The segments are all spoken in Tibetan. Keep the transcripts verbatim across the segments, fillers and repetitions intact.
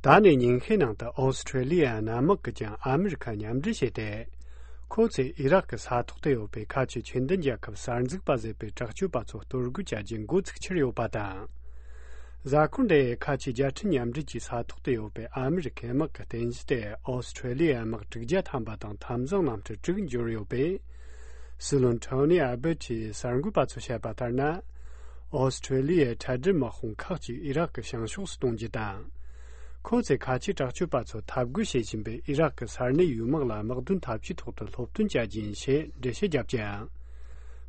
ད་ནས་ཉིན་ཤས་ནང་དུ་ཨོ་སི་ཁྲེ་ལི་ཡ་གནམ་དམག་གིས་ཀྱང་ཨ་མི་རི་ཁ་མཉམ་འབྲེལ་བྱས་ཏེ། ཁོ་ཚོས་ཨི་རག་གི་ས་ཐོག་ཏུ་ཡོད་པའི་ཁ་ཆེ་ཆོས་ལྡན་རྒྱལ་ཁབ་གསར་འཛུགས་པ་ཟེར་བའི་དྲག་སྤྱོད་པ་ཚོ་གཏོར་རྒོལ་བྱ་རྒྱུ་འགོ་ཚུགས་ཁྱེར་ཡོད་པ་དང་། གཟའ་འཁོར་འདིའི་ཁ་ཆེ་རྒྱལ་ཕྲན་མཉམ་འབྲེལ་གྱི་ས་ཐོག་ཏུ་ཡོད་པའི་ཨ་མི་རི་ཁའི་དམག་གི་རྟེན་གཞི་དེ་ཨོ་སི་ཁྲེ་ལི་ཡའི་དམག་དྲུག་བརྒྱ་ཐམ་པ་དང་འཐབ་འཛིང་གནམ་གྲུ་དྲུག་འབྱོར་ཡོད་པས། སྲིད་བློན་ཐོ་ནི་ཨ་བྷར་ཊིས་གསར་འགོད་པ་ཚོར་བཤད་པ་ལྟར་ན། ཨོ་སི་ཁྲེ་ལི་ཡའི་འཕྲལ་སྒྲིལ་དམག་དཔུང་ཁག་ཅིག་ཨི་རག་གི་བྱང་ཕྱོགས་སུ་གཏོང་རྒྱུ་དང་། ཁོ་ཚོས་ཁ་ཆེ་དྲག་སྤྱོད་པ་ཚོ་འཐབ་རྒོལ་བྱེད་བཞིན་པའི་ཨི་རག་གི་ས་གནས་ཡུལ་དམག་ལ་དམག་དོན་འཐབ་ཇུས་ཐོག་ཏུ་སློབ་སྟོན་བྱ་རྒྱུ་ཡིན་ཞེས་འགྲེལ་བཤད་བརྒྱབ་ཀྱང་།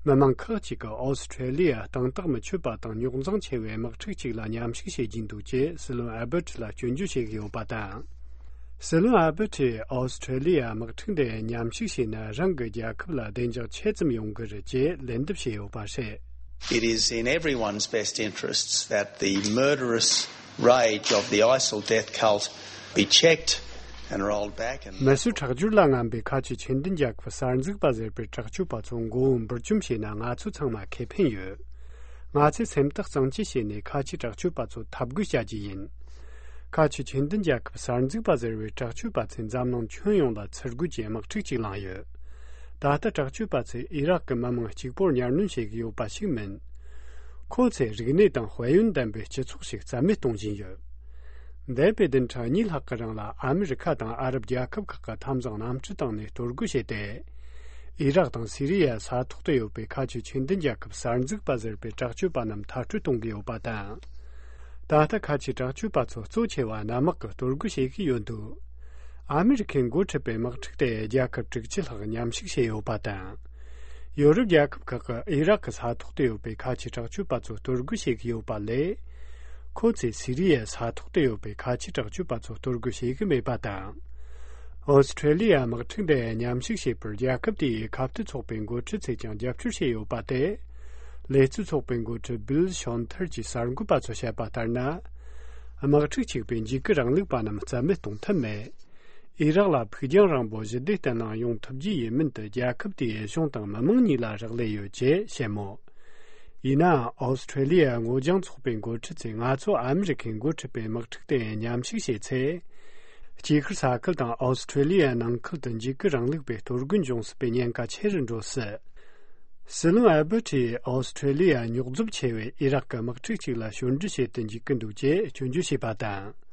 མི་མང་ཁག་ཅིག་གིས་ཨོ་སི་ཁྲེ་ལི་ཡ་གཏིང་ཐག་མི་ཆོད་པ་དང་རྙོག་འཛིང་ཆེ་བའི་དམག་འཁྲུག་ཅིག་ལ་མཉམ་ཞུགས་བྱེད་ཀྱིན་འདུག་ཅེས་སྲིད་བློན་ཨ་བྷར་ཊི་ལ་སྐྱོན་བརྗོད་བྱེད་ཀྱི་ཡོད་པ་དང་། སྲིད་བློན་ཨ་བྷར་ཊིས་ཨོ་སི་ཁྲེ་ལི་ཡ་དམག་འཁྲུག་འདི་མཉམ་ཞུགས་བྱས་ན་རང་གི་རྒྱལ་ཁབ་ལ་བདེ་འཇགས་ཆེ་ཙམ་ཡོང་གི་རེད་ཅེས་ལན་འདེབས་བྱས་ཡོད་པ་རེད། It is in everyone's best interests that the murderous rage of the ISIL death cult be checked and rolled back and མི་སེར་ཁྲག་སྦྱོར་ལ་རྔམ་པའི་ཁ་ཆེ་ཆོས་ལྡན་རྒྱལ་ཁབ་གསར་འཛུགས་པ་ཟེར་པའི་དྲག་སྤྱོད་པ་ཚོ་མགོ་བོ་འབུར་འཇོམས་བྱས་ན་ང་ཚོ་ཚང་མ་ཁེ་ཕན་ཡོད། ང་ཚོས་སེམས་ཐག་གཙང་བཅད་བྱས་ནས་ཁ་ཆེ་དྲག་སྤྱོད་པ་ཚོ་འཐབ་རྒོལ་བྱ་རྒྱུ་ཡིན། ཁ་ཆེ་ཆོས་ལྡན་རྒྱལ་ཁབ་གསར་འཛུགས་པ་ཟེར་བའི་དྲག་སྤྱོད་པ་ཚོས་འཛམ་གླིང་ཁྱོན་ཡོངས་ལ་ཚུར་རྒོལ་གྱི་དམག་འཁྲུག་ཅིག་བསླངས་ཡོད། ད་ལྟ་དྲག་སྤྱོད་པ་ཚོས་ཨི་རག་གི་མི་མང་གཅིག་པོར་གཉའ་གནོན་བྱེད་ཀྱི་ཡོད་པ་ཞིག་མིན། ཁོ་ཚོས་རིག་གནས་དང་དཔལ་ཡོན་ལྡན་པའི་སྤྱི་ཚོགས་ཤིག་རྩ་མེད་གཏོང་བཞིན་ཡོད། འདས་པའི་བདུན་ཕྲག་གཉིས་ལྷག་གི་རིང་ལ་ཨ་མི་རི་ཁ་དང་ཨ་རབ་རྒྱལ་ཁབ་ཁག་གི་འཐབ་འཛིང་གནམ་གྲུ་བཏང་ནས་གཏོར་རྒོལ་བྱས་ཏེ། ཨི་རག་དང་སི་རི་ཡའི་ས་ཐོག་ཏུ་ཡོད་པའི་ཁ་ཆེ་ཆོས་ལྡན་རྒྱལ་ཁབ་གསར་འཛུགས་པ་ཟེར་བའི་དྲག་སྤྱོད་པ་རྣམས་མཐར་སྐྲོད་གཏོང་གི་ཡོད་པ་དང་། ད་ལྟ་ཁ་ཆེ་དྲག་སྤྱོད་པ་ཚོ་གཙོ་ཆེ་བ་གནམ་དམག་གིས་གཏོར་རྒོལ་བྱེད་ཀྱི་ཡོད་འདུག་ཨ་མི་རི་ཁས་འགོ་ཁྲིད་པའི་དམག་འཁྲུག་དེ་རྒྱལ་ཁབ་དྲུག་ཅུ་ལྷག་མཉམ་ཞུགས་བྱས་ཡོད་པ་དང་། ཡོ་རོབ་རྒྱལ་ཁབ་ཁག་གིས་ཨི་རག་གི་ས་ཐོག་ཏུ་ཡོད་པའི་ཁ་ཆེ་དྲག་སྤྱོད་པ་ཚོ་གཏོར་རྒོལ་བྱེད་ཀྱི་ཡོད་པ་ལས། ཁོ་ཚོས་སི་རི་ཡའི་ས་ཐོག་ཏུ་ཡོད་པའི་ཁ་ཆེ་དྲག་སྤྱོད་པ་ཚོ་གཏོར་རྒོལ་བྱེད་ཀྱི་མེད་པ་དང་། ཨོ་སི་ཁྲེ་ལི་ཡ་དམག་འཁྲུག་འདི་མཉམ་ཞུགས་བྱེད་པར་རྒྱལ་ཁབ་དེའི་ཁ་གཏད་ཚོགས་པའི་འགོ་ཁྲིད་ཚོས་ཀྱང་རྒྱབ་སྐྱོར་བྱས་ཡོད་པ་སྟེ། ལས་གཙོ་ཚོགས་པའི་འགོ་ཁྲིད་བིལ་ཤོན་ཐར་གྱིས་གསར་འགོད་པ་ཚོར་བཤད་པ་ལྟར་ན། དམག་འཁྲུག་གཅིག་པའི་འཇིགས་སྐུལ་རིང་ལུགས་པ་རྣམས་རྩ་མེད་གཏོང་ཐབས་མེད། ཨི་རག་ལ་ཕུགས་རྒྱང་རིང་པོ་ཞི་བདེ་བརྟན་ལྷིང་ཡོང་ཐུབ་རྒྱུ་ཡིན་མིན་དུ་རྒྱལ་ཁབ་དེའི་གཞུང་དང་མི་མང་གཉིས་ལ་རག་ལས་ཡོད་ཅེས་བཤད་མོད། ཡིན་ནའང་ཨོ་སི་ཁྲེ་ལི་ཡ་སྔོ་ལྗང་ཚོགས་པའི་འགོ་ཁྲིད་ཚོས་ང་ཚོ་ཨ་མི་རི་ཁས་འགོ་ཁྲིད་པའི་དམག་འཁྲུག་དེ་མཉམ་ཞུགས་བྱས་ཚེ། དཀྱིལ་ཤར་ས་ཁུལ་དང་ཨོ་སི་ཁྲེ་ལི་ཡ་ནང་ཁུལ་དུ་འཇིགས་སྐུལ་རིང་ལུགས་པའི་གཏོར་རྒོལ་འབྱུང་སྲིད་པའི་ཉེན་ཁ་ཆེ་རུ་འགྲོ་སྲིད། སྲིད་བློན་ཨལ་བྷར་ཊིས་ཨོ་སི་ཁྲེ་ལི་ཡ་རྙོག་འཛིང་ཆེ་བའི་ཨི་རག་གི་དམག་འཁྲུག་ཅིག་ལ་ཞོར་འབྲེལ་བྱེད་དུ་འཇུག་གི་འདུག་ཅེས་སྐྱོན་བརྗོད་བྱས་པ་དང་།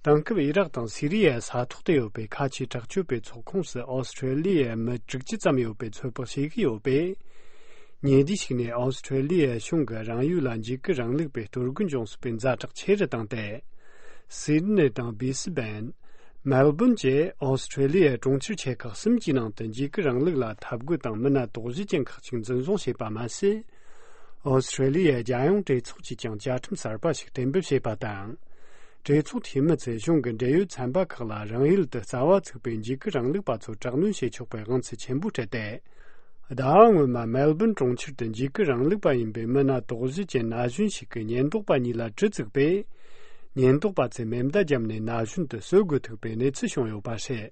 དེང་སྐབས་ཨི་རག་དང་སི་རི་ཡའི་ས་ཐོག་ཏུ་ཡོད་པའི་ཁ་ཆེའི་དྲག་སྤྱོད་པའི་ཚོགས་ཁོངས་སུ་ཨོ་སི་ཁྲེ་ལི་ཡའི་མི་དྲུག་ཅུ་ཙམ་ཡོད་པའི་ཚོད་དཔག་བྱེད་ཀྱི་ཡོད་པས། ཉེ་དུས་ཤིག་ནས་ཨོ་སི་ཁྲེ་ལི་ཡའི་གཞུང་གིས་རང་ཡུལ་ལ་འཇིགས་སྐུལ་རིང་ལུགས་པའི་གཏོར་རྒོལ་འབྱུང་སྲིད་པའི་ཛ་དྲག་ཆེ་རུ་བཏང་སྟེ། སིད་ནི་དང་བི་སི་བན། མེལ་བོན་བཅས་ཨོ་སི་ཁྲེ་ལི་ཡའི་གྲོང་ཁྱེར་ཆེ་ཁག་གསུམ་གྱི་ནང་དུ་འཇིགས་སྐུལ་རིང་ལུགས་ལ་འཐབ་རྒོལ་དང་མི་སྣ་དོགས་གཞི་ཅན་ཁག་ཅིག་འཛིན་བཟུང་བྱས་པ་མ་ཟད། ཨོ་སི་ཁྲེ་ལི་ཡའི་རྒྱལ་ཡོངས་གྲོས་ཚོགས་ཀྱིས་ཀྱང་བཅའ་ཁྲིམས་གསར་པ་ཞིག་གཏན་འབེབས་བྱས་པ་དང་། གྲོས་ཚོགས་འཐུས་མི་ཚོས་གཞུང་གི་འབྲེལ་ཡོད་ཚན་པ་ཁག་ལ་རང་ཡུལ་དུ་རྩ་བ་ཚུགས་པའི་འཇིགས་སྐུལ་རིང་ལུགས་པ་ཚོར་དྲག་གནོན་བྱེད་ཆོག་པའི་དབང་ཚད་ཆེན་པོ་སྤྲད་དེ། ཟླ་བ་སྔོན་མ་མེལ་བོན་གྲོང་ཁྱེར་དུ་འཇིགས་སྐུལ་རིང་ལུགས་པ་ཡིན་པའི་མི་སྣ་དོགས་གཞི་ཅན་ན་གཞོན་ཞིག་གི་ཉེན་རྟོག་པ་གཉིས་ལ་གྲི་བཙུགས་པས། ཉེན་རྟོག་པ་ཚོས་མེ་མདའ་བརྒྱབ་ནས་ན་གཞོན་དེ་གསོད་དགོས་ཐུག་པའི་གནས་ཚུལ་བྱུང་ཡོད་པ་རེད།